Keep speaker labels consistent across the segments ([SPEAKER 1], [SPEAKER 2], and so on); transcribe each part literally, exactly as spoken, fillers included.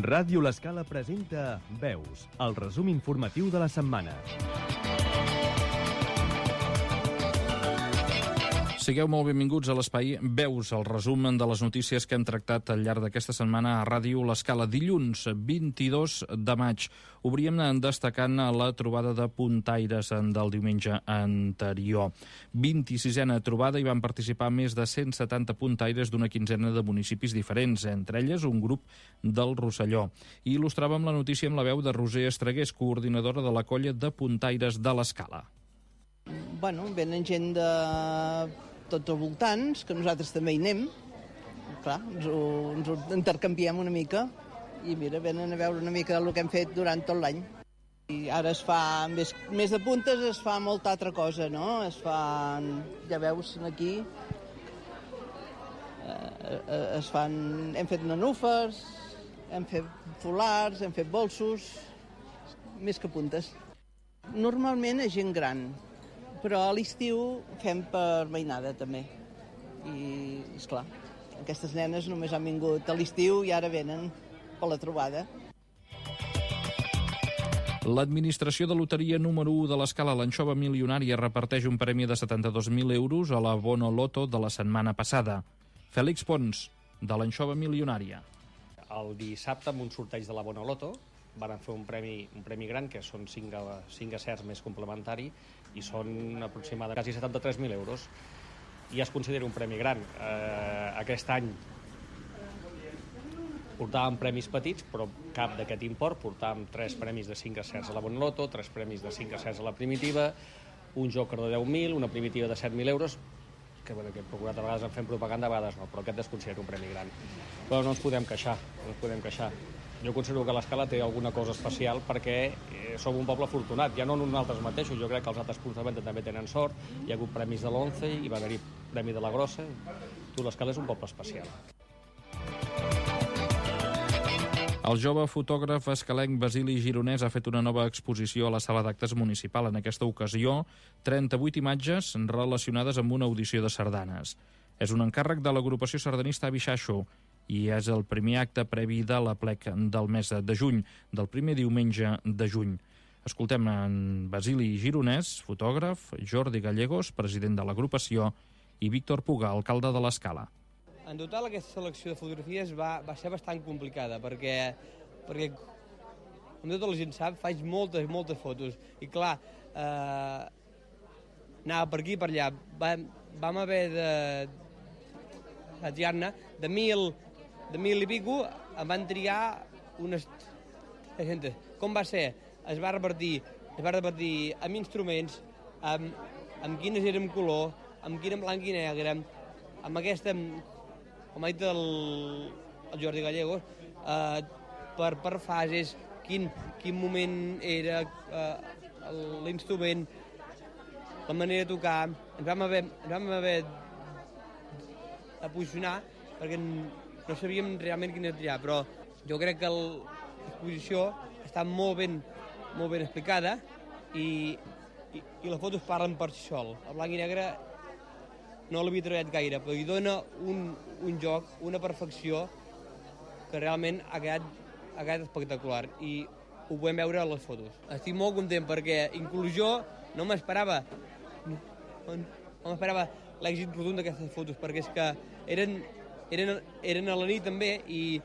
[SPEAKER 1] Ràdio L'Escala presenta Veus, el resum informatiu de la setmana.
[SPEAKER 2] Sigueu molt benvinguts a l'espai Veus, el resum de les notícies que hem tractat al llarg d'aquesta setmana a Ràdio L'Escala. Dilluns, vint-i-dos de maig, obríem destacant la trobada de puntaires del diumenge anterior. vint-i-sisena trobada, hi van participar més de cent setanta puntaires d'una quinzena de municipis diferents, entre elles un grup del Rosselló. I il·lustràvem la notícia amb la veu de Roser Estregués, coordinadora de la colla de puntaires de l'Escala.
[SPEAKER 3] Bueno, venen gent de tots els voltants, que nosaltres també hi anem. Clar, ens ho, ens ho intercanviem una mica i mira, venen a veure una mica del que hem fet durant tot l'any. I ara es fa, més, més de puntes, es fa molta altra cosa, no? Es fan, ja veus aquí, eh, es fan, hem fet nanúfers, hem fet folars, hem fet bolsos, més que puntes. Normalment és gent gran, però a l'estiu fem per mainada també. I, esclar, aquestes nenes només han vingut a l'estiu i ara venen per la trobada.
[SPEAKER 2] L'administració de loteria número u de l'Escala, l'Anxova Milionària, reparteix un premi de setanta-dos mil euros a la Bono Loto de la setmana passada. Fèlix Pons, de l'Anxova Milionària.
[SPEAKER 4] El dissabte, amb un sorteig de la Bono Loto, van fer un premi, un premi gran, que són cinc, cinc acerts més complementari, i són aproximadament quasi setanta-tres mil euros. I es considera un premi gran. Eh, aquest any portàvem premis petits, però cap d'aquest import. Portàvem tres premis de cinc acerts a la Bono Loto, tres premis de cinc acerts a la primitiva, un joker de deu mil, una primitiva de set mil euros, que, bueno, que hem procurat a vegades en fem propaganda, a vegades no, però aquest es considera un premi gran. Però no ens podem queixar, no ens podem queixar. Jo considero que l'Escala té alguna cosa especial perquè eh, som un poble afortunat, ja no nosaltres mateixos, jo crec que els altres punts també tenen sort, hi ha hagut premis de l'Once, hi va haver-hi premi de la Grossa, tu l'Escala és un poble especial.
[SPEAKER 2] El jove fotògraf escalenc Basili Gironès ha fet una nova exposició a la sala d'actes municipal. En aquesta ocasió, trenta-vuit imatges relacionades amb una audició de sardanes. És un encàrrec de l'agrupació sardanista Abixaixo i és el primer acte previ de l'aplec del mes de juny, del primer diumenge de juny. Escoltem en Basili Gironès, fotògraf, Jordi Gallegos, president de l'agrupació, i Víctor Puga, alcalde de l'Escala.
[SPEAKER 5] En total, aquesta selecció de fotografies va, va ser bastant complicada, perquè, perquè, com tota la gent sap, faig moltes, moltes fotos. I clar, eh, anava per aquí i per allà. Vam, vam haver de, de triar-ne de mil, de mil i pico, em van triar unes trenta. Com va ser? Es va repartir, es va repartir amb instruments, amb, amb quines eren color, amb quina en blanc i negre, amb aquesta, com ha dit el, el Jordi Gallegos, eh, per, per fases, quin, quin moment era eh, l'instrument, la manera de tocar. Ens vam haver, ens vam haver de posicionar perquè no sabíem realment quina triar, però jo crec que l'exposició està molt ben, molt ben explicada i, i, i les fotos parlen per si sol. El blanc i negre no l'havia treballat gaire, però hi dona un, un joc, una perfecció que realment ha quedat, ha quedat espectacular i ho podem veure a les fotos. Estic molt content perquè inclús jo no m'esperava no, no m'esperava l'èxit rotund d'aquestes fotos, perquè és que eren, eren, eren a la nit també i,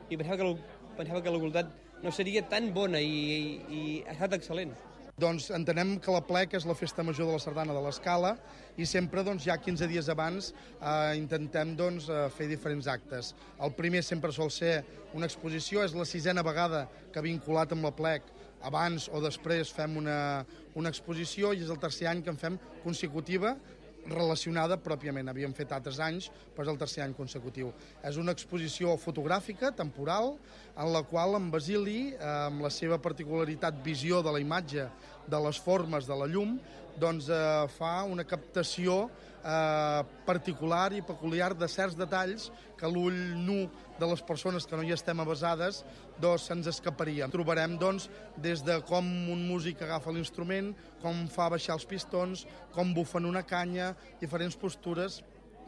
[SPEAKER 5] i pensava, que la, pensava que la qualitat no seria tan bona i, i, i ha estat excel·lent.
[SPEAKER 6] Doncs entenem que l'aplec és la festa major de la sardana de l'Escala i sempre doncs, ja quinze dies abans eh, intentem doncs, fer diferents actes. El primer sempre sol ser una exposició, és la sisena vegada que vinculat amb l'aplec abans o després fem una, una exposició i és el tercer any que en fem consecutiva relacionada pròpiament. Havíem fet altres anys, però és el tercer any consecutiu. És una exposició fotogràfica, temporal, en la qual en Basili, amb la seva particularitat visió de la imatge, de les formes, de la llum, doncs eh, fa una captació eh, particular i peculiar de certs detalls que l'ull nu de les persones que no hi estem avesades doncs se'ns escaparia. Trobarem doncs des de com un músic agafa l'instrument, com fa baixar els pistons, com bufen una canya, diferents postures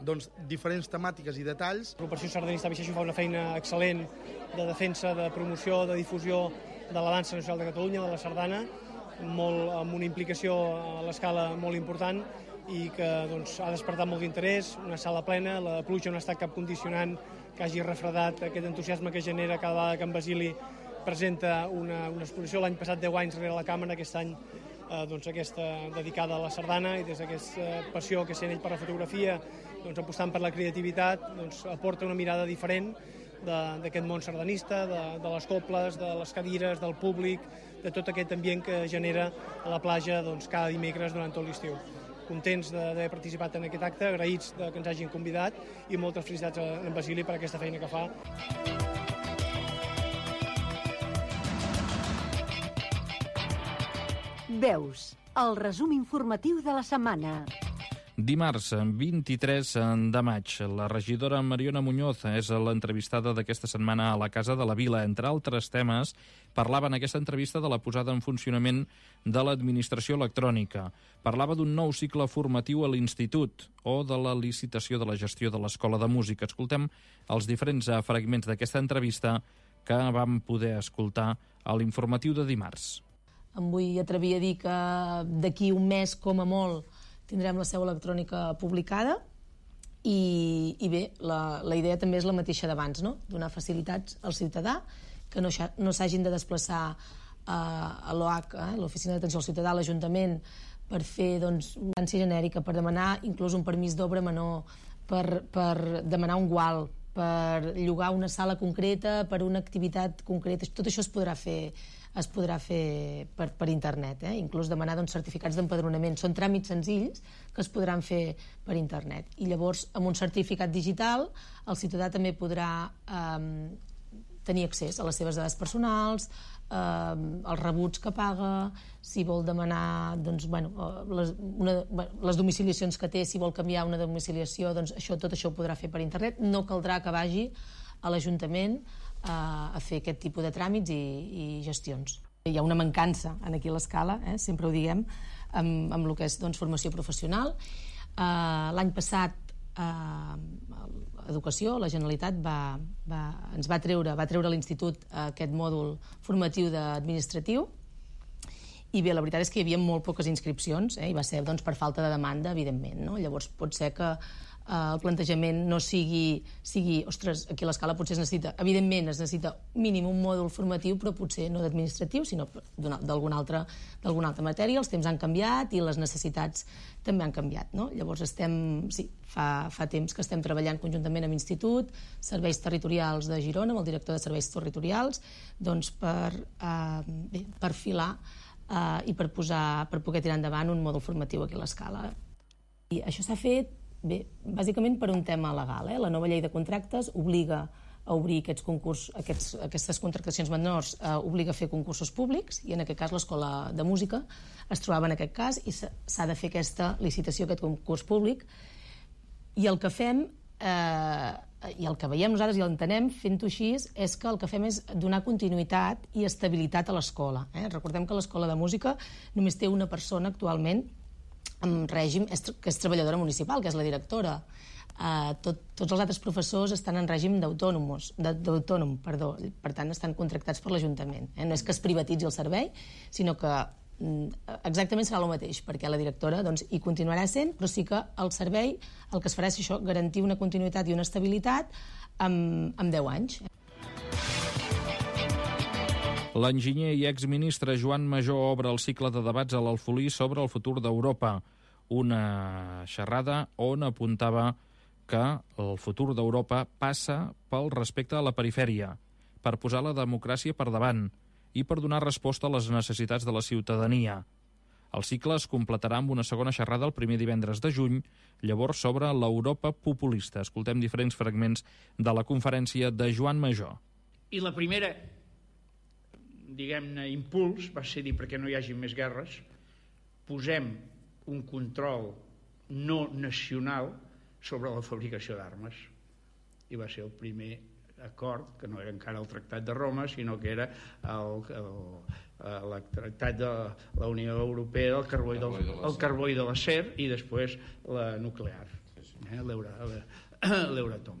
[SPEAKER 6] doncs, diferents temàtiques i detalls.
[SPEAKER 7] L'Operació Sardanista Bixeixo fa una feina excel·lent de defensa, de promoció, de difusió de la dansa nacional de Catalunya, de la sardana, molt, amb una implicació a l'escala molt important i que doncs, ha despertat molt d'interès, una sala plena, la pluja no ha estat cap condicionant que hagi refredat aquest entusiasme que genera cada vegada que en Basili presenta una, una exposició. L'any passat deu anys rere la càmera, aquest any eh, doncs, aquesta dedicada a la sardana, i des d'aquesta passió que sent ell per la fotografia, doncs, apostant per la creativitat, doncs, aporta una mirada diferent d'aquest món sardanista, de, de les cobles, de les cadires, del públic, de tot aquest ambient que genera a la platja doncs, cada dimecres durant tot l'estiu. Contents d'haver participat en aquest acte, agraïts de que ens hagin convidat i moltes felicitats a en Basili per aquesta feina que fa.
[SPEAKER 8] Veus, el resum informatiu de la setmana.
[SPEAKER 2] Dimarts, vint-i-tres de maig, la regidora Mariona Muñoz és l'entrevistada d'aquesta setmana a la Casa de la Vila. Entre altres temes, parlava en aquesta entrevista de la posada en funcionament de l'administració electrònica. Parlava d'un nou cicle formatiu a l'institut o de la licitació de la gestió de l'Escola de Música. Escoltem els diferents fragments d'aquesta entrevista que vam poder escoltar a l'informatiu de dimarts.
[SPEAKER 9] Em vull atrevir a dir que d'aquí un mes, com a molt, tindrem la seu electrònica publicada i, i bé, la, la idea també és la mateixa d'abans, no? Donar facilitats al ciutadà, que no, no s'hagin de desplaçar a, a l'O H, eh, l'Oficina d'Atenció al Ciutadà, a l'Ajuntament, per fer doncs, una ànsia genèrica, per demanar inclús un permís d'obra menor, per, per demanar un gual, per llogar una sala concreta, per una activitat concreta. Tot això es podrà fer es podrà fer per, per internet, eh? Inclús demanar doncs, certificats d'empadronament. Són tràmits senzills que es podran fer per internet. I llavors, amb un certificat digital, el ciutadà també podrà eh, tenir accés a les seves dades personals, eh, els rebuts que paga, si vol demanar doncs, bueno, les, una, les domiciliacions que té, si vol canviar una domiciliació, doncs això, tot això ho podrà fer per internet. No caldrà que vagi a l'Ajuntament a fer aquest tipus de tràmits i, i gestions. Hi ha una mancança aquí a l'escala, eh, sempre ho diguem, amb, amb el que és doncs, formació professional. Uh, L'any passat, uh, Educació, la Generalitat, va, va, ens va treure, va treure a l'Institut uh, aquest mòdul formatiu d'administratiu, i bé, la veritat és que hi havia molt poques inscripcions, eh, i va ser doncs, per falta de demanda, evidentment, no? Llavors pot ser que el plantejament no sigui, sigui ostres, aquí a l'escala potser es necessita, evidentment es necessita mínim un mòdul formatiu, però potser no d'administratiu, sinó d'alguna altra, d'alguna altra matèria. Els temps han canviat i les necessitats també han canviat, no? Llavors estem, sí, fa, fa temps que estem treballant conjuntament amb l'Institut, Serveis Territorials de Girona, amb el director de Serveis Territorials, doncs per eh, bé, perfilar eh, i per, posar, per poder tirar endavant un mòdul formatiu aquí a l'escala. I això s'ha fet bé, bàsicament per un tema legal. Eh? La nova llei de contractes obliga a obrir aquests concurs, aquests, aquestes contractacions menors, eh, obliga a fer concursos públics, i en aquest cas l'Escola de Música es trobava en aquest cas i s'ha de fer aquesta licitació, aquest concurs públic. I el que fem, eh, i el que veiem nosaltres i l'entenem fent-ho així, és que el que fem és donar continuïtat i estabilitat a l'escola. Eh? Recordem que l'Escola de Música només té una persona actualment en règim, que és treballadora municipal, que és la directora. Uh, tot, tots els altres professors estan en règim d'autònom, perdó, per tant estan contractats per l'Ajuntament. Eh? No és que es privatitzi el servei, sinó que mm, exactament serà el mateix, perquè la directora doncs, hi continuarà sent, però sí que el servei el que es farà és això, garantir una continuïtat i una estabilitat amb, amb deu anys.
[SPEAKER 2] L'enginyer i exministre Joan Majó obre el cicle de debats a l'Alfolí sobre el futur d'Europa. Una xerrada on apuntava que el futur d'Europa passa pel respecte a la perifèria, per posar la democràcia per davant i per donar resposta a les necessitats de la ciutadania. El cicle es completarà amb una segona xerrada el primer divendres de juny, llavors sobre l'Europa populista. Escoltem diferents fragments de la conferència de Joan Majó.
[SPEAKER 10] I la primera, diguem-ne, impuls va ser dir, perquè no hi hagi més guerres, posem un control no nacional sobre la fabricació d'armes. I va ser el primer acord, que no era encara el Tractat de Roma, sinó que era el, el, el Tractat de la Unió Europea, el carbó i, del, el carbó i de l'acer, i després la nuclear. eh, l'Euratom.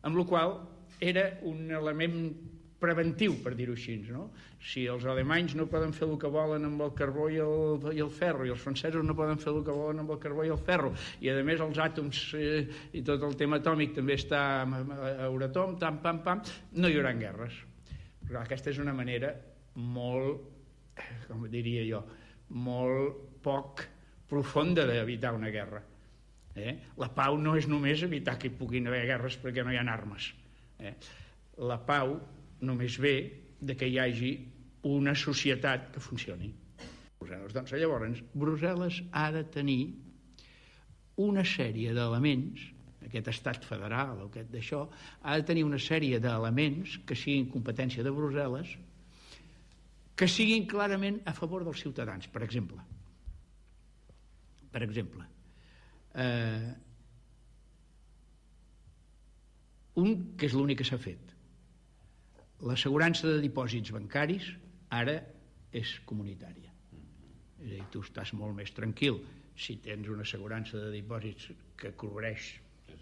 [SPEAKER 10] Amb la qual era un element preventiu, per dir-ho així, no? Si els alemanys no poden fer el que volen amb el carbó i el, i el ferro, i els francesos no poden fer el que volen amb el carbó i el ferro, i a més els àtoms eh, i tot el tema atòmic també està a Euratom, tam, pam, pam, no hi haurà guerres. Però aquesta és una manera molt, com diria jo, molt poc profunda d'evitar una guerra. Eh? La pau no és només evitar que hi puguin haver guerres perquè no hi ha armes. Eh? La pau només ve de que hi hagi una societat que funcioni. Doncs llavors, Brussel·les ha de tenir una sèrie d'elements, aquest estat federal o aquest d'això, ha de tenir una sèrie d'elements que siguin competència de Brussel·les, que siguin clarament a favor dels ciutadans. Per exemple, per exemple, eh, un que és l'únic que s'ha fet. L'assegurança de dipòsits bancaris ara és comunitària. És a dir, tu estàs molt més tranquil si tens una assegurança de dipòsits que cobreix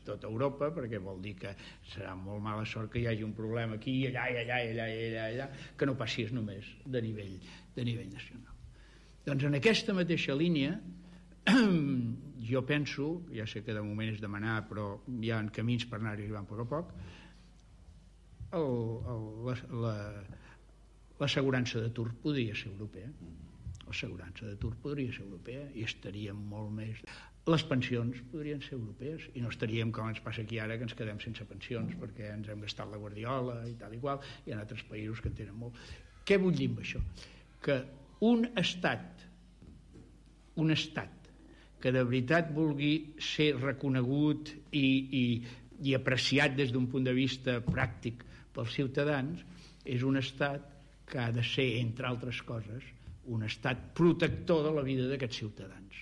[SPEAKER 10] tota Europa, perquè vol dir que serà molt mala sort que hi hagi un problema aquí i allà i allà i allà i allà, allà que no passi només de nivell, de nivell nacional. Doncs en aquesta mateixa línia jo penso, ja sé que de moment és demanar, però hi ha camins per anar arribant a poc a poc, l'assegurança d'atur podria ser europea. L'assegurança d'atur podria ser europea i estaríem molt més... Les pensions podrien ser europees i no estaríem com ens passa aquí ara, que ens quedem sense pensions perquè ens hem gastat la guardiola i tal i qual. Hi ha altres països que en tenen molt. Què vull dir amb això? Que un estat, un estat que de veritat vulgui ser reconegut i, i, i apreciat des d'un punt de vista pràctic pels ciutadans, és un estat que ha de ser, entre altres coses, un estat protector de la vida d'aquests ciutadans.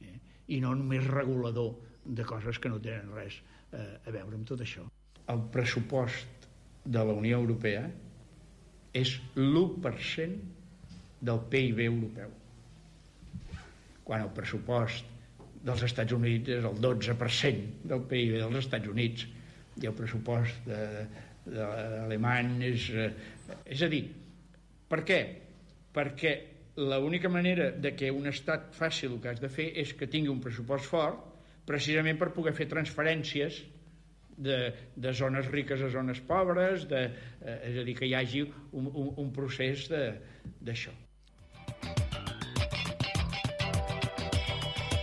[SPEAKER 10] Eh? I no només regulador de coses que no tenen res eh, a veure amb tot això. El pressupost de la Unió Europea és l'u per cent del P I B europeu, quan el pressupost dels Estats Units és el dotze per cent del P I B dels Estats Units, i el pressupost de, de alemany és... Eh, és a dir, per què? Perquè l'única manera de que un estat faci el que has de fer és que tingui un pressupost fort, precisament per poder fer transferències de, de zones riques a zones pobres, de, eh, és a dir, que hi hagi un, un, un procés d'això.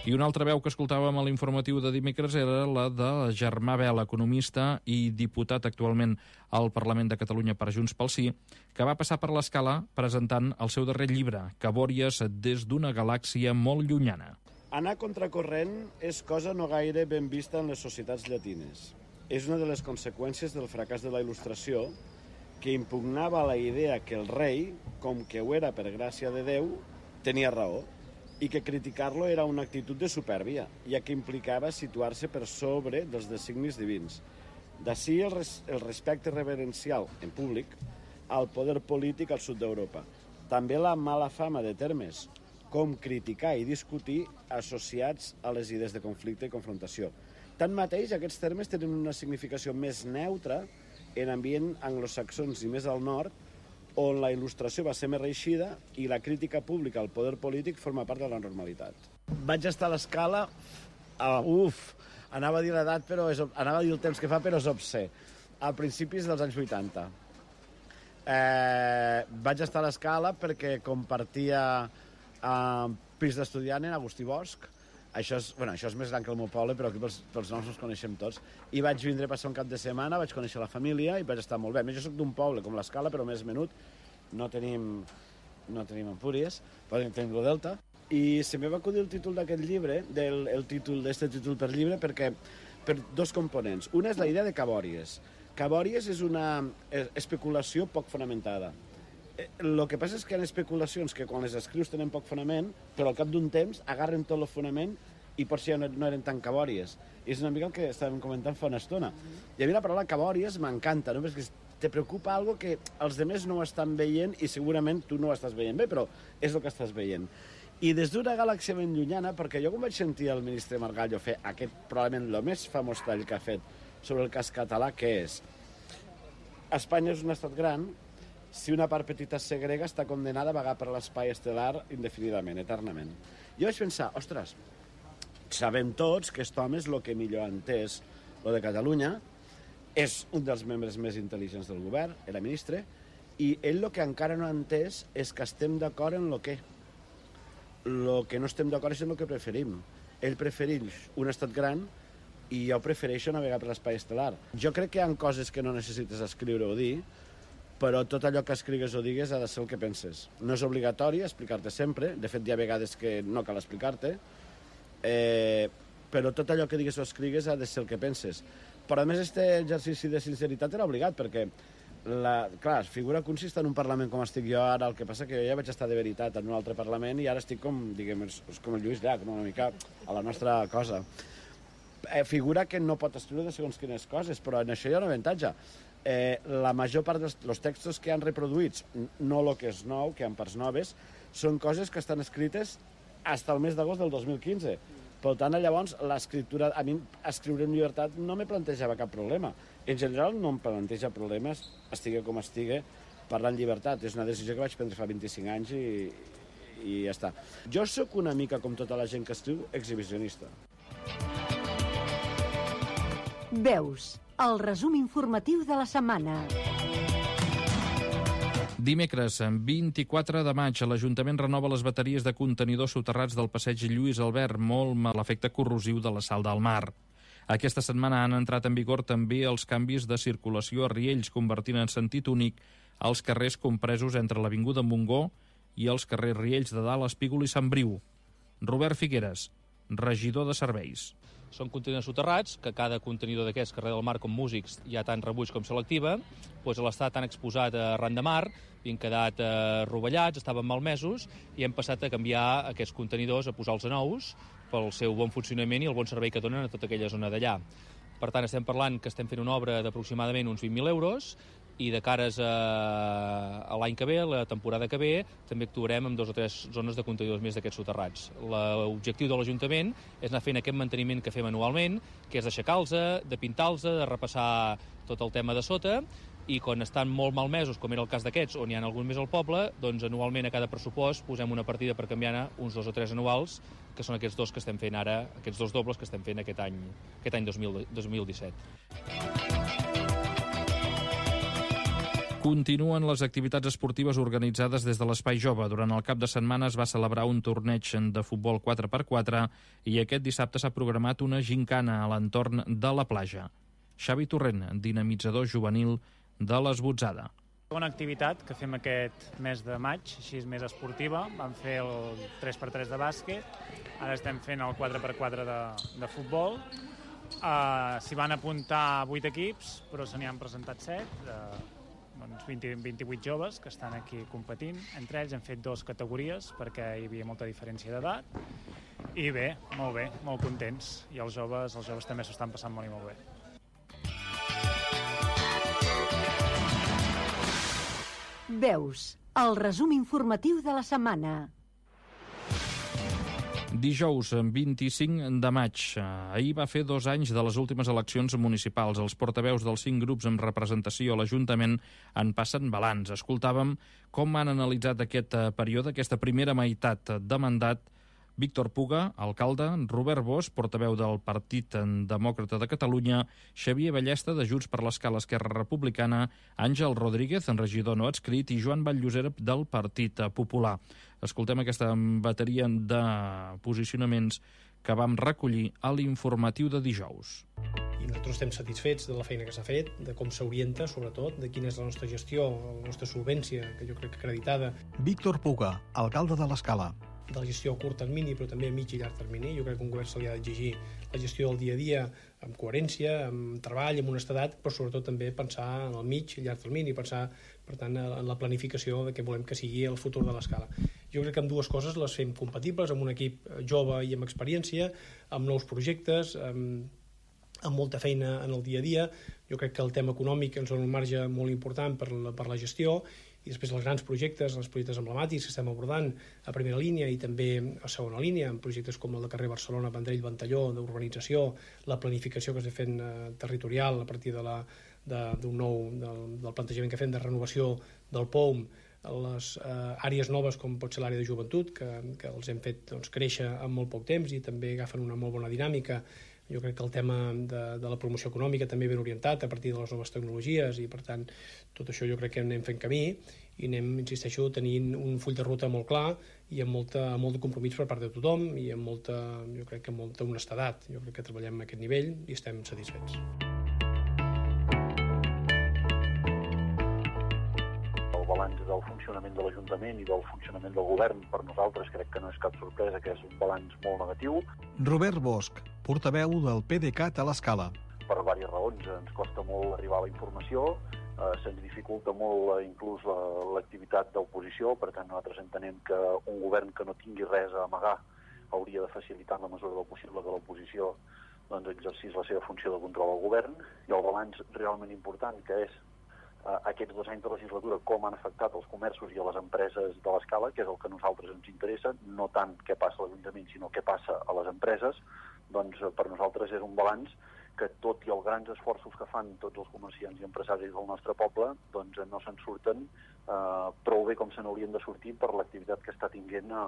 [SPEAKER 2] I una altra veu que escoltàvem a l'informatiu de dimecres era la de Germà Bel, economista i diputat actualment al Parlament de Catalunya per Junts pel Sí, que va passar per l'Escala presentant el seu darrer llibre, Cabòries des d'una galàxia molt llunyana.
[SPEAKER 11] Anar contracorrent és cosa no gaire ben vista en les societats llatines. És una de les conseqüències del fracàs de la Il·lustració, que impugnava la idea que el rei, com que ho era per gràcia de Déu, tenia raó, i que criticar-lo era una actitud de supèrbia, ja que implicava situar-se per sobre dels designis divins. D'ací el, res, el respecte reverencial, en públic, al poder polític al sud d'Europa. També la mala fama de termes, com criticar i discutir associats a les idees de conflicte i confrontació. Tanmateix, aquests termes tenen una significació més neutra en ambient anglosaxons i més al nord, on la il·lustració va ser més reeixida i la crítica pública al poder polític forma part de la normalitat. Vaig estar a l'Escala, uh, uf, anava a dir l'edat, però és, anava a dir el temps que fa, però és obscè, a principis dels anys vuitanta. Eh, vaig estar a l'Escala perquè compartia uh, pis d'estudiant en Agustí Bosch. Això és, bueno, això és més gran que el meu poble, però aquí pels, pels noms els coneixem tots. I vaig vindre a passar un cap de setmana, vaig conèixer la família i vaig estar molt bé. Jo soc d'un poble com l'Escala, però més menut. No tenim, no tenim Empúries, però tenim el Delta. I se me va acudir el títol d'aquest llibre, del, el títol d'este títol per llibre, perquè per dos components. Una és la idea de Cabòries. Cabòries és una especulació poc fonamentada. El que passa és que hi ha especulacions que quan les escrius tenen poc fonament, però al cap d'un temps agarren tot el fonament i potser ja no, no eren tan cabòries. I és una mica el que estàvem comentant fa una estona. I a mi la paraula cabòries m'encanta, no? Perquè te preocupa algo que els demés no ho estan veient i segurament tu no ho estàs veient bé, però és el que estàs veient. I des d'una galàxia ben llunyana, perquè jo quan vaig sentir el ministre Margallo fer aquest, probablement el més famós tall que ha fet sobre el cas català, que és Espanya és un estat gran, si una part petita es segrega, està condenada a vagar per l'espai estel·lar indefinidament, eternament. Jo vaig pensar, ostres, sabem tots que aquest home és el que millor ha entès lo de Catalunya, és un dels membres més intel·ligents del govern, era ministre, i ell el que encara no ha entès és que estem d'acord en el què. El que no estem d'acord és en el que preferim. Ell prefereix un estat gran i jo prefereixo navegar per l'espai estel·lar. Jo crec que hi ha coses que no necessites escriure o dir, però tot allò que escrigues o digues ha de ser el que penses. No és obligatori explicar-te sempre, de fet hi ha vegades que no cal explicar-te, eh, però tot allò que digues o escrigues ha de ser el que penses. Però a més aquest exercici de sinceritat era obligat, perquè La, clar, figura que un si està en un Parlament com estic jo ara, el que passa que jo ja vaig estar de veritat en un altre Parlament i ara estic com, diguem, és, és com el Lluís Llach, no? Una mica a la nostra cosa. Eh, figura que no pot escriure de segons quines coses, però en això hi ha un avantatge. Eh, la major part dels los textos que han reproduïts, no el que és nou, que hi ha parts noves, són coses que estan escrites fins al mes d'agost del dos mil quinze. Per tant, llavors, l'escriptura, a mi escriure en llibertat no me plantejava cap problema. En general no em planteja problemes, estigui com estigui, parlar en llibertat. És una decisió que vaig prendre fa vint-i-cinc anys i, i ja està. Jo sóc una mica, com tota la gent que escriu, exhibicionista.
[SPEAKER 8] Veus, el resum informatiu de la setmana.
[SPEAKER 2] Dimecres, vint-i-quatre de maig, l'Ajuntament renova les bateries de contenidors soterrats del passeig Lluís Albert, molt mal l'efecte corrosiu de la sal del mar. Aquesta setmana han entrat en vigor també els canvis de circulació a Riells, convertint en sentit únic els carrers compresos entre l'Avinguda Montgó i els carrers Riells de Dalt, Espígol i Sant Briu. Robert Figueres, regidor de serveis.
[SPEAKER 12] Són contenidors soterrats, que cada contenidor d'aquests, carrer del mar com músics, hi ha tant rebuig com selectiva, doncs l'estat han exposat arran de mar, havien quedat eh, rovellats, estaven malmesos, i hem passat a canviar aquests contenidors, a posar-los a nous, pel seu bon funcionament i el bon servei que donen a tota aquella zona d'allà. Per tant, estem parlant que estem fent una obra d'aproximadament uns vint mil euros, i de cares a, a l'any que ve, la temporada que ve, també actuarem en dos o tres zones de contenidors més d'aquests soterrats. L'objectiu de l'Ajuntament és anar fent aquest manteniment que fem anualment, que és d'aixecar-los, de pintar-los, de repassar tot el tema de sota, i quan estan molt malmesos, com era el cas d'aquests, on hi ha algun més al poble, doncs anualment a cada pressupost posem una partida per canviar uns dos o tres anuals, que són aquests dos que estem fent ara, aquests dos dobles que estem fent aquest any, aquest any dos mil disset.
[SPEAKER 2] Continuen les activitats esportives organitzades des de l'Espai Jove. Durant el cap de setmana es va celebrar un torneig de futbol quatre per quatre i aquest dissabte s'ha programat una gincana a l'entorn de la platja. Xavi Torrent, dinamitzador juvenil de l'Esbotzada.
[SPEAKER 13] Una activitat que fem aquest mes de maig, així més esportiva. Vam fer el tres per tres de bàsquet, ara estem fent el quatre per quatre de, de futbol. Uh, S'hi van apuntar vuit equips, però se n'hi han presentat set, uh, doncs vint, vint-i-vuit joves que estan aquí competint. Entre ells hem fet dues categories perquè hi havia molta diferència d'edat. I bé, molt bé, molt contents. I els joves, els joves també s'ho estan passant molt i molt bé.
[SPEAKER 8] Veus, el resum informatiu de la setmana.
[SPEAKER 2] Dijous, vint-i-cinc de maig. Ahir va fer dos anys de les últimes eleccions municipals. Els portaveus dels cinc grups amb representació a l'Ajuntament en passen balanç. Escoltàvem com han analitzat aquest període, aquesta primera meitat de mandat, Víctor Puga, alcalde, Robert Bosch, portaveu del Partit Demòcrata de Catalunya, Xavier Ballesta, de Junts per l'Escala Esquerra Republicana, Àngel Rodríguez, en regidor no adscrit, i Joan Valllosera, del Partit Popular. Escoltem aquesta bateria de posicionaments que vam recollir a l'informatiu de dijous.
[SPEAKER 7] I nosaltres estem satisfets de la feina que s'ha fet, de com s'orienta, sobretot, de quina és la nostra gestió, la nostra solvència, que jo crec que acreditada.
[SPEAKER 14] Víctor Puga, alcalde de l'Escala.
[SPEAKER 7] De la gestió a curt termini, però també a mig i llarg termini. Jo crec que un govern se li ha d'exigir la gestió del dia a dia amb coherència, amb treball, amb honestedat, però sobretot també pensar en el mig i llarg termini, pensar, per tant, en la planificació de què volem que sigui el futur de l'Escala. Jo crec que amb dues coses les fem compatibles, amb un equip jove i amb experiència, amb nous projectes, amb, amb molta feina en el dia a dia. Jo crec que el tema econòmic ens dona un marge molt important per la, per la gestió, i després els grans projectes, els projectes emblemàtics que estem abordant a primera línia i també a segona línia, en projectes com el de carrer Barcelona, Vendrell, Ventalló, d'urbanització, la planificació que s'ha fet eh, territorial a partir de la, de, d'un nou, del, del plantejament que fem de renovació del P O U M, les eh, àrees noves com pot ser l'àrea de joventut, que, que els hem fet doncs, créixer en molt poc temps i també agafen una molt bona dinàmica. Jo crec que el tema de, de la promoció econòmica també ben orientat a partir de les noves tecnologies i, per tant, tot això jo crec que anem fent camí i anem, insisteixo, tenint un full de ruta molt clar i amb, molta, amb molt de compromís per part de tothom i amb molta, jo crec que amb molta honestedat. Jo crec que treballem a aquest nivell i estem satisfets.
[SPEAKER 15] El balanç del funcionament de l'Ajuntament i del funcionament del govern per nosaltres crec que no és cap sorpresa, que és un balanç molt negatiu.
[SPEAKER 14] Robert Bosch, portaveu del P D C A T a l'Escala.
[SPEAKER 15] Per diverses raons ens costa molt arribar a la informació, eh, se'ns dificulta molt eh, inclús l'activitat d'oposició, per tant nosaltres entenem que un govern que no tingui res a amagar hauria de facilitar en la mesura del possible que l'oposició doncs, exercís la seva funció de control al govern, i el balanç realment important, que és eh, aquests dos anys de legislatura, com han afectat els comerços i a les empreses de l'Escala, que és el que a nosaltres ens interessa, no tant què passa a l'Ajuntament, sinó què passa a les empreses. Doncs per nosaltres és un balanç que, tot i els grans esforços que fan tots els comerciants i empresaris del nostre poble, doncs no se'n surten eh, prou bé com se n'haurien de sortir per l'activitat que està tinguent a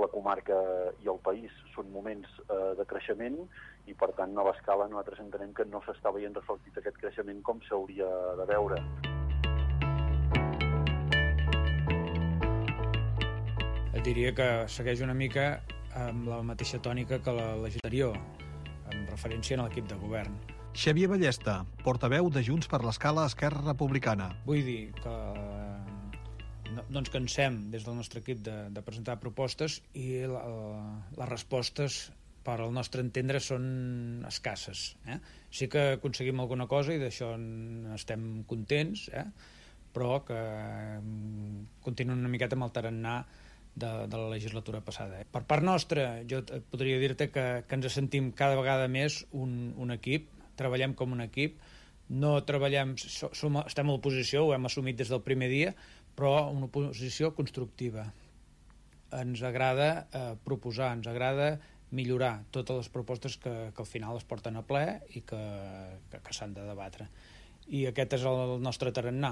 [SPEAKER 15] la comarca i el país. Són moments eh, de creixement i, per tant, a l'Escala nosaltres entenem que no s'està veient reflectit aquest creixement com s'hauria de veure.
[SPEAKER 10] Et diria que segueix una mica amb la mateixa tònica que la legislació, en referència a l'equip de govern.
[SPEAKER 14] Xavier Ballesta, portaveu de Junts per l'Escala Esquerra Republicana.
[SPEAKER 10] Vull dir que no, no ens cansem des del nostre equip de, de presentar propostes i la, les respostes, per al nostre entendre, són escasses. Eh? Sí que aconseguim alguna cosa i d'això estem contents, eh? però que continuen una miqueta amb el tarannà De, de la legislatura passada. Per part nostra, jo podria dir-te que, que ens sentim cada vegada més un, un equip, treballem com un equip, no treballem, som, estem a l'oposició, ho hem assumit des del primer dia, però una oposició constructiva. Ens agrada eh, proposar, ens agrada millorar totes les propostes que, que al final es porten a ple i que, que, que s'han de debatre. I aquest és el nostre tarannà.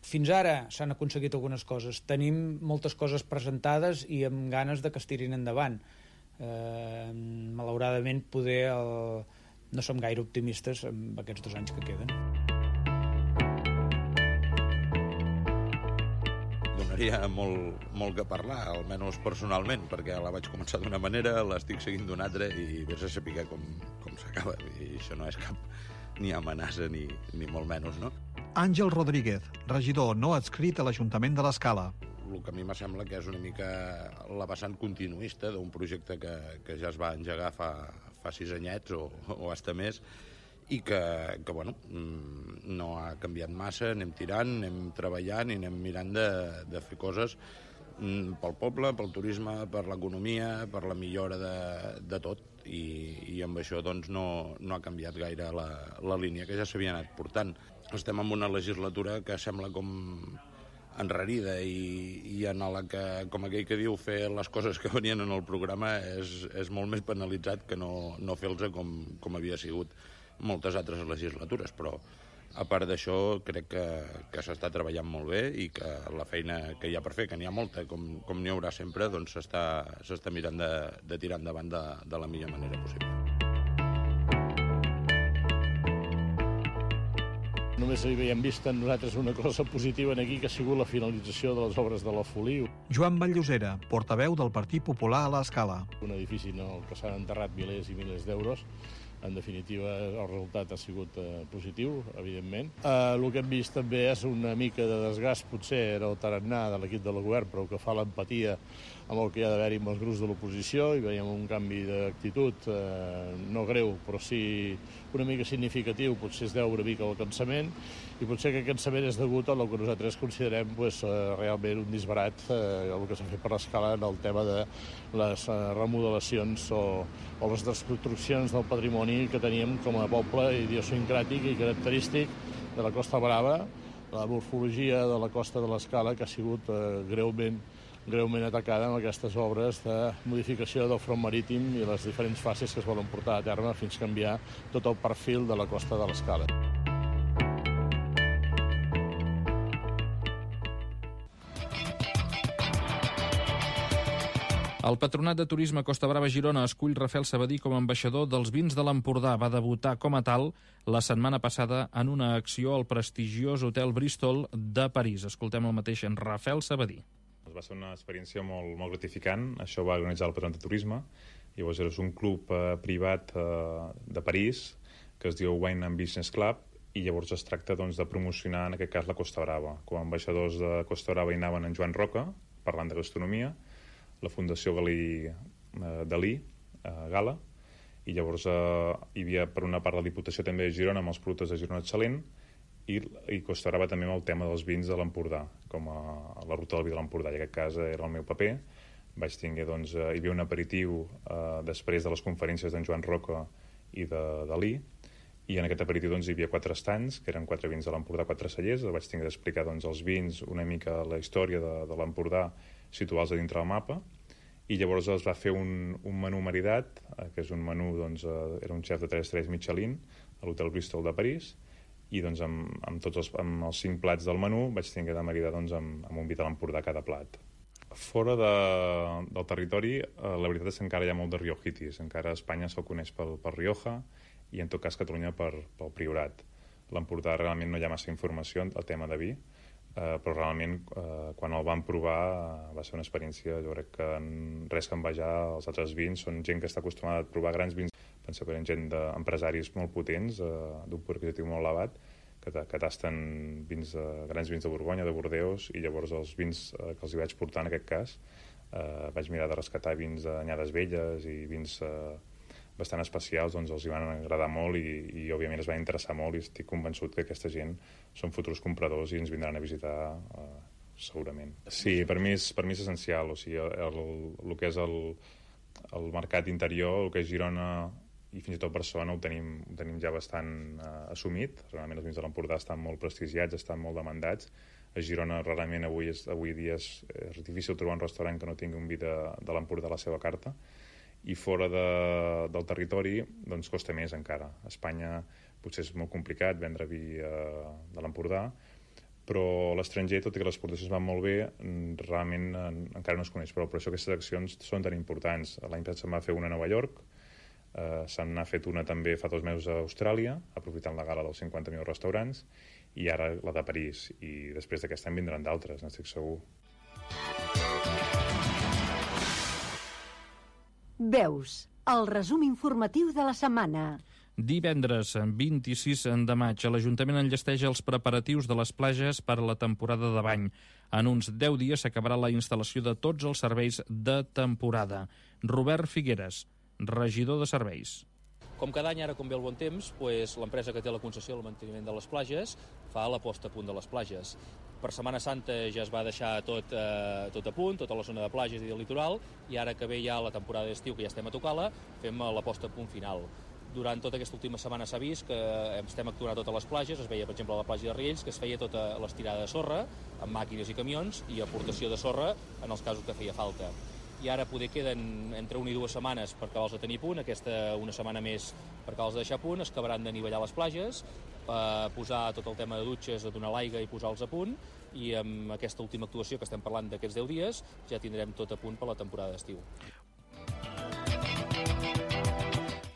[SPEAKER 10] Fins ara s'han aconseguit algunes coses. Tenim moltes coses presentades i amb ganes de que es tirin endavant. Eh, malauradament, poder el... no som gaire optimistes amb aquests dos anys que queden.
[SPEAKER 16] Donaria molt, molt que parlar, almenys personalment, perquè la vaig començar d'una manera, l'estic seguint d'una altra i vés a saber com, com s'acaba. I això no és cap ni amenaça ni, ni molt menys, no?
[SPEAKER 14] Àngel Rodríguez, regidor no adscrit a l'Ajuntament de l'Escala.
[SPEAKER 16] El que a mi me sembla que és una mica la vessant continuista d'un projecte que, que ja es va engegar fa, fa sis anyets o, o hasta més i que, que bueno, no ha canviat massa, anem tirant, anem treballant i anem mirant de, de fer coses pel poble, pel turisme, per l'economia, per la millora de, de tot i, i amb això doncs, no, no ha canviat gaire la, la línia que ja s'havia anat portant. Estem en una legislatura que sembla com enrarida i, i en la que, com aquell que diu, fer les coses que venien en el programa és, és molt més penalitzat que no, no fer-los com, com havia sigut moltes altres legislatures, però a part d'això crec que, que s'està treballant molt bé i que la feina que hi ha per fer, que n'hi ha molta, com, com n'hi haurà sempre, doncs s'està mirant de, de tirar endavant de, de la millor manera possible.
[SPEAKER 17] Només hi havíem vist en nosaltres una cosa positiva en aquí, que ha sigut la finalització de les obres de la Foliu.
[SPEAKER 14] Joan Vallllosera, portaveu del Partit Popular a l'Escala.
[SPEAKER 17] Un edifici en el que s'han enterrat milers i milers d'euros. En definitiva, el resultat ha sigut eh, positiu, evidentment. Eh, el que hem vist també és una mica de desgast, potser era el tarannà de l'equip del govern, però que fa l'empatia amb el que hi ha d'haver-hi amb els grups de l'oposició, i veiem un canvi d'actitud, eh, no greu, però sí una mica significatiu, potser es deu una mica al cansament, i potser que aquest cansament és degut a el que nosaltres considerem pues, eh, realment un disbarat, eh, el que s'ha fet per l'Escala en el tema de les eh, remodelacions o, o les desconstruccions del patrimoni que teníem com a poble idiosincràtic i característic de la Costa Brava, la morfologia de la costa de l'Escala, que ha sigut eh, greument, greument atacada amb aquestes obres de modificació del front marítim i les diferents fases que es volen portar a terme fins a canviar tot el perfil de la costa de l'Escala.
[SPEAKER 2] El Patronat de Turisme Costa Brava Girona escull Rafael Sabadí com a ambaixador dels vins de l'Empordà. Va debutar com a tal la setmana passada en una acció al prestigiós Hotel Bristol de París. Escoltem el mateix en Rafael Sabadí.
[SPEAKER 18] Va ser una experiència molt, molt gratificant. Això va organitzar el Patronat de Turisme. Llavors és un club eh, privat eh, de París que es diu Wine and Business Club i llavors es tracta doncs, de promocionar en aquest cas la Costa Brava. Com a ambaixadors de Costa Brava hi anaven en Joan Roca, parlant de gastronomia, la Fundació Galí eh, Dalí, eh, Gala, i llavors eh, hi havia per una part la Diputació també de Girona amb els productes de Girona Excel·lent i, i Costa Brava també amb el tema dels vins de l'Empordà, com a, a la ruta del vi de l'Empordà. I en aquest cas era el meu paper. Vaig tinguer, doncs, eh, hi havia un aperitiu eh, després de les conferències d'en Joan Roca i de Dalí, i en aquest aperitiu doncs, hi havia quatre estands, que eren quatre vins de l'Empordà, quatre cellers. Vaig tinguer d'explicar doncs, els vins, una mica la història de, de l'Empordà, situar-los a dintre del mapa, i llavors es va fer un, un menú maridat, eh, que és un menú, doncs, eh, era un xef de tres estrelles Michelin a l'Hotel Bristol de París, i doncs amb, amb tots els, amb els cinc plats del menú vaig tenir de maridar doncs, amb, amb un vi de l'Empordà cada plat. Fora de, del territori, eh, la veritat és que encara hi ha molt de riojitis, encara Espanya se'l coneix pel, per Rioja i en tot cas Catalunya per, pel Priorat. L'Empordà realment no hi ha massa informació al tema de vi, Uh, però realment uh, quan el vam provar uh, va ser una experiència, jo crec que en res que envejar els altres vins, són gent que està acostumada a provar grans vins, penseu que eren gent d'empresaris molt potents, uh, d'un poder adquisitiu molt elevat, que, que tasten vins, uh, grans vins de Borgonya, de Bordeus, i llavors els vins uh, que els hi vaig portar en aquest cas, uh, vaig mirar de rescatar vins d'anyades velles i vins uh, bastant especials, doncs els hi van agradar molt i, i òbviament es van interessar molt i estic convençut que aquesta gent són futurs compradors i ens vindran a visitar eh, segurament. Sí, per mi és, per mi és essencial, o sigui, el, el, el que és el, el mercat interior, el que és Girona i fins i tot Barcelona ho tenim, ho tenim ja bastant eh, assumit. Realment els vins de l'Empordà estan molt prestigiats, estan molt demandats. A Girona rarament avui, és, avui dia és, és difícil trobar un restaurant que no tingui un vi de, de l'Empordà a la seva carta. I fora de, del territori doncs costa més encara. A Espanya potser és molt complicat vendre vi eh, de l'Empordà, però a l'estranger, tot i que les exportacions van molt bé, realment eh, encara no es coneix, però per això aquestes accions són tan importants. L'any passat se'n va fer una a Nova York, eh, se n'ha fet una també fa dos mesos a Austràlia, aprofitant la gala dels cinquanta millors restaurants, i ara la de París, i després d'aquest any vindran d'altres, n'estic segur.
[SPEAKER 8] Veus, el resum informatiu de la setmana.
[SPEAKER 2] Divendres, vint-i-sis de maig, l'Ajuntament enllesteix els preparatius de les platges per a la temporada de bany. En uns deu dies s'acabarà la instal·lació de tots els serveis de temporada. Robert Figueres, regidor de serveis.
[SPEAKER 12] Com cada any, ara com ve el bon temps, doncs, l'empresa que té la concessió del manteniment de les platges fa la posta a punt de les platges. Per Setmana Santa ja es va deixar tot, eh, tot a punt, tota la zona de platges i del litoral, i ara que ve ja la temporada d'estiu, que ja estem a tocar-la, fem la posta a punt final. Durant tota aquesta última setmana s'ha vist que estem actuant a totes les platges, es veia, per exemple, a la platja de Riells, que es feia tota l'estirada de sorra, amb màquines i camions, i aportació de sorra en els casos que feia falta. I ara poder queden entre una i dues setmanes per acabar-los de tenir a punt, aquesta una setmana més per acabar-los de deixar a punt, es acabaran d'anivellar les platges, eh, posar tot el tema de dutxes, donar l'aigua i posar-los a punt, i amb aquesta última actuació que estem parlant d'aquests deu dies ja tindrem tot a punt per la temporada d'estiu.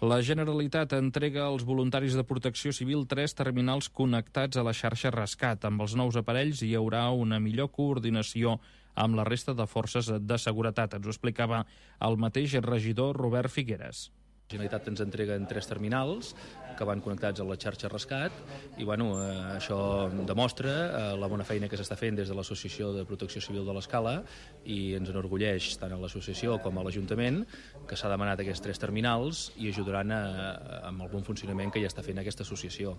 [SPEAKER 2] La Generalitat entrega als voluntaris de Protecció Civil tres terminals connectats a la xarxa Rescat. Amb els nous aparells hi haurà una millor coordinació amb la resta de forces de seguretat. Ens ho explicava el mateix regidor Robert Figueres.
[SPEAKER 12] La Generalitat ens entrega en tres terminals que van connectats a la xarxa Rescat i bueno, eh, això demostra eh, la bona feina que s'està fent des de l'Associació de Protecció Civil de l'Escala i ens enorgulleix tant a l'associació com a l'Ajuntament que s'ha demanat aquests tres terminals i ajudaran a, a, amb el bon funcionament que ja està fent aquesta associació.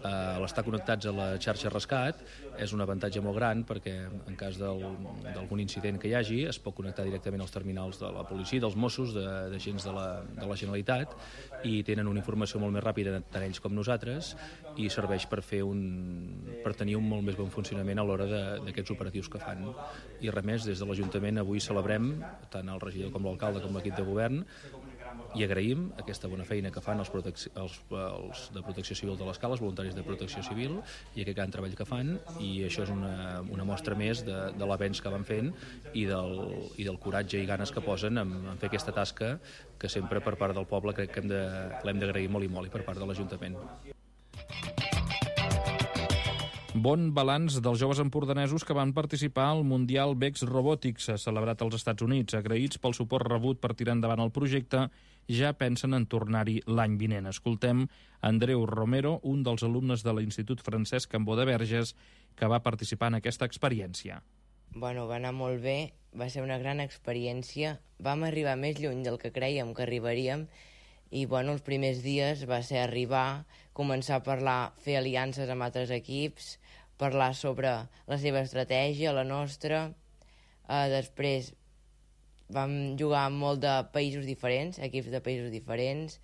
[SPEAKER 12] Eh, L'estar connectats a la xarxa Rescat és un avantatge molt gran perquè en cas d'algun incident que hi hagi es pot connectar directament als terminals de la policia, dels Mossos, d'agents de, de la, de la Generalitat qualitat i tenen una informació molt més ràpida tant ells com nosaltres i serveix per fer un, per tenir un molt més bon funcionament a l'hora d'aquests operatius que fan. I res més, des de l'Ajuntament avui celebrem, tant el regidor com l'alcalde com l'equip de govern, i agraïm aquesta bona feina que fan els, els, els de Protecció Civil de l'Escala, els voluntaris de Protecció Civil, i aquest gran treball que fan, i això és una, una mostra més de, de l'avenç que van fent i del, i del coratge i ganes que posen en, en fer aquesta tasca que sempre per part del poble crec que hem de, l'hem d'agrair molt i molt i per part de l'Ajuntament.
[SPEAKER 2] Bon balanç dels joves empordanesos que van participar al Mundial Vex Robotics, celebrat als Estats Units. Agraïts pel suport rebut per tirar endavant el projecte, ja pensen en tornar-hi l'any vinent. Escoltem Andreu Romero, un dels alumnes de l'Institut Francesc Cambó de Verges, que va participar en aquesta experiència.
[SPEAKER 19] Bueno, va anar molt bé, va ser una gran experiència. Vam arribar més lluny del que creiem que arribaríem i bueno, els primers dies va ser arribar, començar a parlar, fer aliances amb altres equips, parlar sobre la seva estratègia, la nostra. Uh, després vam jugar amb molt de països diferents, equips de països diferents,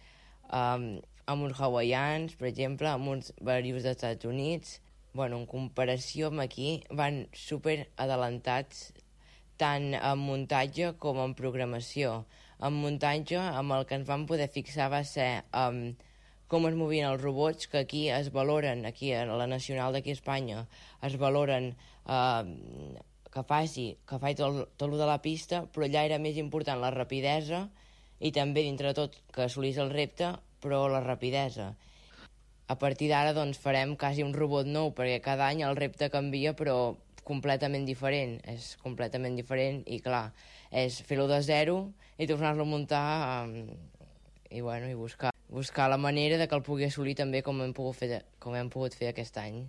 [SPEAKER 19] um, amb uns hawaians, per exemple, amb uns varios dels Estats Units. Bueno, en comparació amb aquí, van super adelantats tant en muntatge com en programació. En muntatge, amb el que ens vam poder fixar va ser um, com es movien els robots, que aquí es valoren, aquí a la Nacional d'aquí a Espanya, es valoren uh, que faci, que faci tot, tot el de la pista, però allà era més important la rapidesa i també, dintre de tot, que assolís el repte, però la rapidesa. A partir d'ara doncs, farem quasi un robot nou, perquè cada any el repte canvia, però completament diferent. És completament diferent i, clar, és fer-ho de zero i tornar-lo a muntar um, i, bueno, i buscar, buscar la manera de que el pugui assolir també com hem pogut fer, com hem pogut fer aquest any.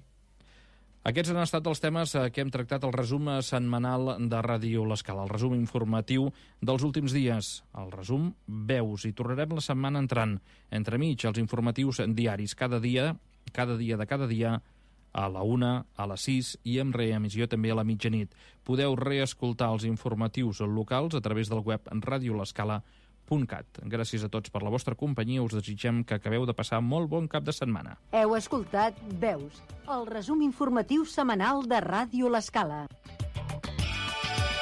[SPEAKER 2] Aquests han estat els temes que hem tractat al resum setmanal de Ràdio L'Escala, el resum informatiu dels últims dies. El resum veus, i tornarem la setmana entrant. Entremig, els informatius diaris cada dia, cada dia de cada dia, a la una, a les sis i amb reemissió també a la mitjanit. Podeu reescoltar els informatius locals a través del web radio l'escala punt cat. Gràcies a tots per la vostra companyia. Us desitgem que acabeu de passar molt bon cap de setmana.
[SPEAKER 8] Heu escoltat Veus, el resum informatiu setmanal de Ràdio L'Escala.